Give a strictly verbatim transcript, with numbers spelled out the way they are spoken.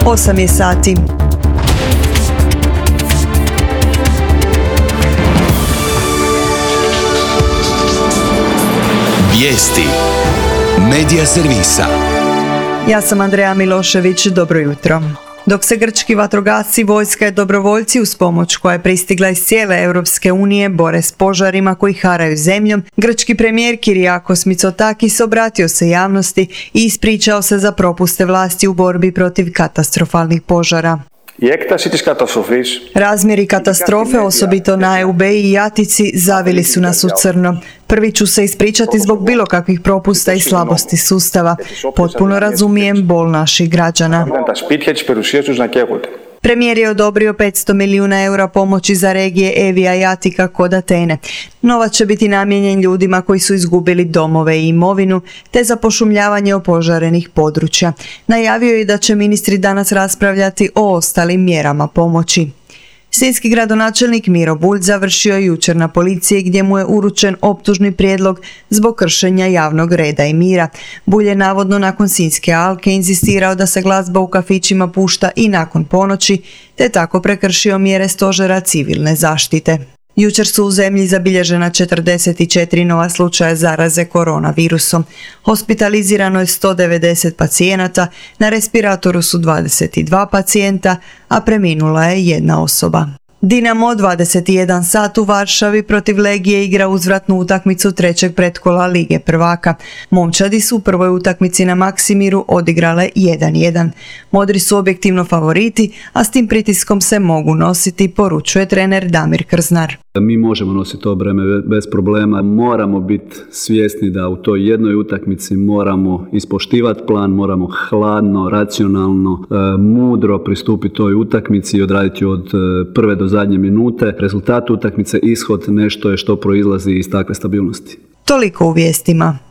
osam je sati. Vijesti Medija servisa. Ja sam Andreja Milošević, dobro jutro. Dok se grčki vatrogasci, vojska i dobrovoljci uz pomoć koja je pristigla iz cijele Europske unije bore s požarima koji haraju zemljom, grčki premijer Kyriakos Mitsotakis obratio se javnosti i ispričao se za propuste vlasti u borbi protiv katastrofalnih požara. Razmjeri katastrofe, osobito na Eubei i Atici, zavili su nas u crno. Prvi ću se ispričati zbog bilo kakvih propusta i slabosti sustava. Potpuno razumijem bol naših građana. Premijer je odobrio petsto milijuna eura pomoći za regije Evija i Atika kod Atene. Novac će biti namijenjen ljudima koji su izgubili domove i imovinu, te za pošumljavanje opožarenih područja. Najavio je da će ministri danas raspravljati o ostalim mjerama pomoći. Sinjski gradonačelnik Miro Bulj završio je jučer na policiji gdje mu je uručen optužni prijedlog zbog kršenja javnog reda i mira. Bulj je navodno nakon Sinjske alke inzistirao da se glazba u kafićima pušta i nakon ponoći, te tako prekršio mjere stožera civilne zaštite. Jučer su u zemlji zabilježena četrdeset četiri nova slučaja zaraze koronavirusom. Hospitalizirano je sto devedeset pacijenata, na respiratoru su dvadeset dva pacijenta, a preminula je jedna osoba. Dinamo dvadeset jedan sat u Varšavi protiv Legije igra uzvratnu utakmicu trećeg pretkola Lige prvaka. Momčadi su u prvoj utakmici na Maksimiru odigrale jedan jedan. Modri su objektivno favoriti, a s tim pritiskom se mogu nositi, poručuje trener Damir Krznar. Mi možemo nositi to breme bez problema, moramo biti svjesni da u toj jednoj utakmici moramo ispoštivati plan, moramo hladno, racionalno, mudro pristupiti toj utakmici i odraditi od prve do zadnje minute. Rezultat utakmice, ishod, nešto je što proizlazi iz takve stabilnosti. Toliko u vijestima.